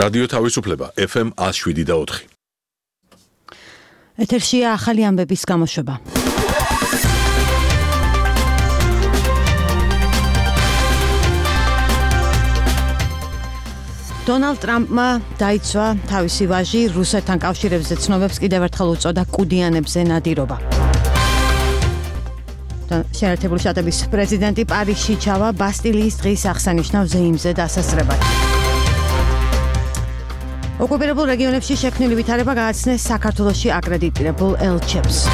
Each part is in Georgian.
რადიო თავისუფლება FM 107.4. ეთერშია ახალი ამბების გამოშვება. დონალდ ტრამპმა დაიცვა თავისი ვაჟი რუსეთთან კავშირებზე ცნობებს კიდევ ერთხელ უწოდა კუდიანებზე ნადირობა. შეერთებული შტატების პრეზიდენტი პარიზში ჩავა ბასტილიის დღის აღსანიშნავ ზეიმზე დასასრებად. ოკუპირებულ რეგიონებში შექმნილი ვითარება გააცნეს საქართველოში აკრედიტირებულ ელჩებს.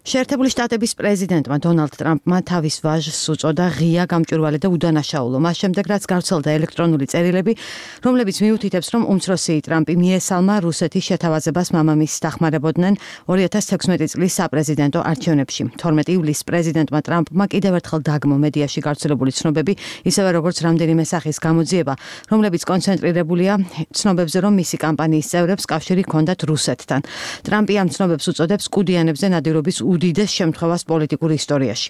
შეერთებული შტატების პრეზიდენტმა დონალდ ტრამპმა თავის ვაჟს უწოდა ღია, გამჭვირვალე და უდანაშაულო. მას შემდეგ, რაც გავრცელდა ელექტრონული წერილები, რომლებიც მიუთითებს, რომ უმცროსი ტრამპი მიესალმა რუსეთის შეთავაზებას მამამისს დახმარებოდნენ 2016 წლის საპრეზიდენტო არჩევნებში. 12 ივლისს პრეზიდენტმა ტრამპმა კიდევ ერთხელ დაგმო მედიაში გავრცელებული ცნობები, ისევე როგორც რამდენიმე სახის გამოძიება, რომლებიც კონცენტრირებულია ცნობებზე, რომ მისი კამპანიის წევრებს კავშირი ჰქონდათ რუსეთთან. ტრამპი ამ ცნობებს უწოდებს კუდიანებზე ნადირობის უდიდეს შემთხვევას პოლიტიკურ ისტორიაში.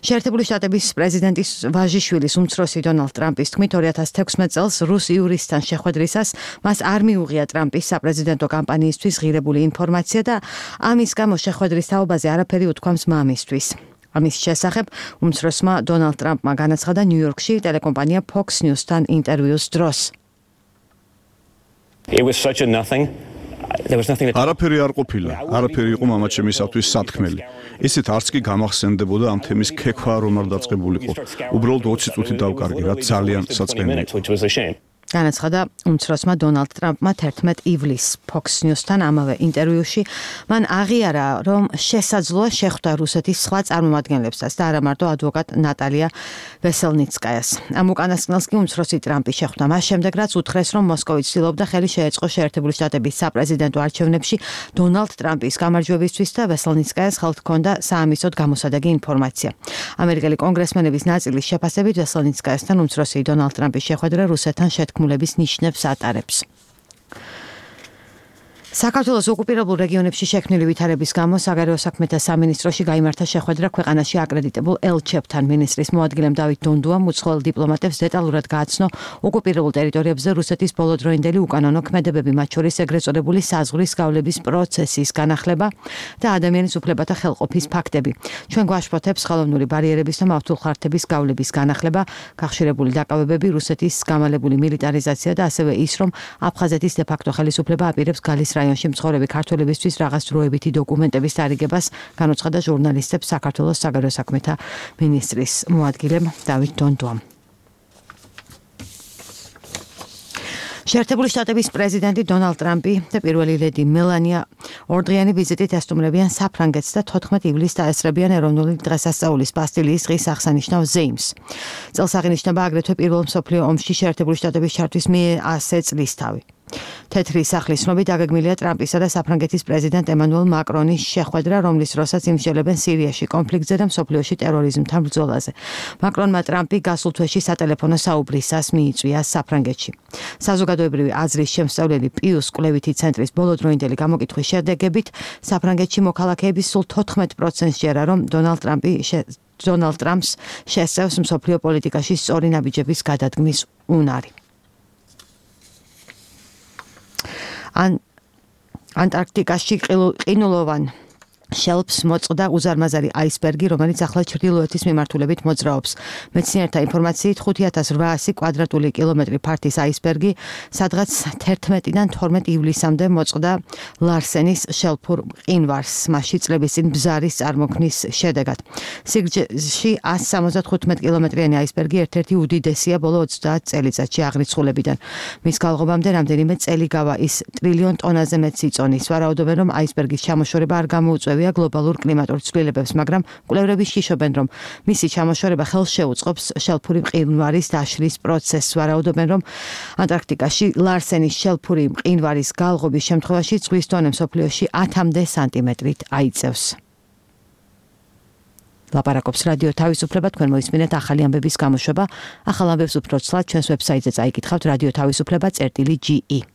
შეერთებული შტატების პრეზიდენტის ვაჟიშვილის უმცროსი დონალდ ტრამპის თქმით 2016 წელს რუს იურისტთან შეხვედრისას მას არ მიუღია ტრამპის საპრეზიდენტო კამპანიისთვის ღირებული ინფორმაცია და ამის გამო შეხვედრის თაობაზე არაფერი უთქვამს მამისთვის. ამის შესახებ უმცროსმა დონალდ ტრამპმა განაცხადა ნიუ-იორკში ტელეკომპანია Fox News-თან ინტერვიუს დროს. It was such a nothing. არაფერი არ ყოფილა, არაფერი იყო მამაჩემისათვის სათქმელი. ისეთ არც კი გამახსენდებოდა ამ თემის ქექვა რომ არ დაწყებულიყო. უბრალოდ 20 წუთი დავკარგი, რაც ძალიან საწყენია. განაცხადა უმცროსმა დონალდ ტრამპმა 11 ივლისს Fox News-თან ამავე ინტერვიუში. მან აღიარა, რომ შესაძლოა შეხვდა რუსეთის სხვა წარმომადგენლებსაც და არა მარტო ადვოკატ ნატალია ვესელნიცკაიას. ამ უკანასკნელს კი უმცროსი ტრამპი შეხვდა მას შემდეგ, რაც უთხრეს, რომ მოსკოვი ცდილობდა ხელი შეეწყო შეერთებული შტატების საპრეზიდენტო არჩევნებში დონალდ ტრამპის გამარჯვებისთვის და ვესელნიცკაიას ხელთ ჰქონდა საამისოდ გამოსადეგი ინფორმაცია. ამერიკელი კონგრესმენების ნაწილის შეფასებით ვესელნიცკაიასთან უმცროსი დონალდ ტრამპის შეხვედრა რუსეთთან შეთქმულების ნიშნებს ატარებს. საქართველოს ოკუპირებულ რეგიონებში შექმნილი ვითარების გამო საგარეო საქმეთა სამინისტროში გაიმართა შეხვედრა ქვეყანაში აკრედიტებულ ელჩებთან. მინისტრის მოადგილემ დავით დონდუამ უცხოელ დიპლომატებს დეტალურად გააცნო ოკუპირებულ ტერიტორიებზე რუსეთის ბოლოდროინდელი უკანონო ქმედებები, მათ შორის ეგრეთ წოდებული საზღვრის გავლების პროცესის განახლება და ადამიანის უფლებათა ხელყოფის ფაქტები. ჩვენ გვაშფოთებს ხელოვნური ბარიერების და მავთულხარდების გავლების განახლება, გახშირებული დაკავებები, რუსეთის გამალებული მილიტარიზაცია და ასევე ის, რომ აფხაზეთის დე-ფაქტო ხელისუფლება აპირებს გალის რაიონში მცხოვრები ქართველებისთვის რაღაც დროებითი დოკუმენტების დარიგებას, განუცხადა ჟურნალისტებს საქართველოს საგარეო საქმეთა მინისტრის მოადგილემ დავით დონდუამ. შეერთებული შტატების პრეზიდენტი დონალდ ტრამპი და პირველი ლედი მელანია ორდღიანი ვიზიტით ესტუმრებიან საფრანგეთს და 14 ივლისს დაესწრებიან ეროვნული დღესასწაულის ბასტილიის დღის აღსანიშნავ ზეიმს. წელს აღინიშნება აგრეთვე პირველ მსოფლიო ომში შეერთებული შტატების ჩართვის 100 წლისთავი. თეთრი სახლის ცნობით დაგეგმილია ტრამპისა და საფრანგეთის პრეზიდენტ ემანუელ მაკრონის შეხვედრა, რომლის დროსაც იმსჯელებენ სირიაში კონფლიქტზე და მსოფლიოში ტერორიზმთან ბრძოლაზე. მაკრონმა ტრამპი გასულ თვეში სატელეფონო საუბრისას მიიწვია საფრანგეთში. საზოგადოებრივი აზრის შემსწავლელი პიუს კვლევითი ცენტრის ბოლოდროინდელი გამოკითხვის შედეგებით საფრანგეთში მოქალაქეების სულ 14%-ს ჯერა, რომ დონალდ ტრამპს შესწევს მსოფლიო პოლიტიკაში სწორი ნაბიჯების გადადგმის უნარი. ანტარქტიკაში ყინულოვან შელფს მოწყდა უზარმაზარი აისბერგი, რომელიც ახლა ჩრდილოეთის მიმართულებით მოძრაობს. მეცნიერთა ინფორმაციით 5800 კვადრატული კილომეტრი ფართის აისბერგი, სადღაც 11-დან 12 ივლისამდე მოწყდა ლარსენის შელფურ მყინვარს, მასში წლების წინ ბზარის წარმოქმნის შედეგად. სიგრძეში 175 კილომეტრიანი აისბერგი ერთ-ერთი უდიდესია ბოლო 30 წელიწადში აღრიცხულებიდან. მის გალღობამდე რამდენიმე წელი გავა, ის ტრილიონ ტონაზე მეტს იწონის. ვარაუდობენ, რომ აისბერგის ჩამოშორება არ გამოუწვევია გლობალურ კლიმატურ ცვლილებებს, მაგრამ კვლევრები შიშობენ, რომ მისი ჩამოშორება ხელს შეუწყობს შელფური მყინვარის დაშლის პროცესს. ვარაუდობენ, რომ ანტარქტიკაში ლარსენის შელფური მყინვარის გალღობის შემთხვევაში ზღვის დონე მსოფლიოში 10-მდე სანტიმეტრით აიწევს. ლაპარაკობს რადიო თავისუფლება, თქვენ მოისმინეთ ახალი ამბების გამოშვება. ახალ ამბებს უფრო ცლად ჩვენს ვებსაიტზე წაიკითხავთ radio-tavisupleba.ge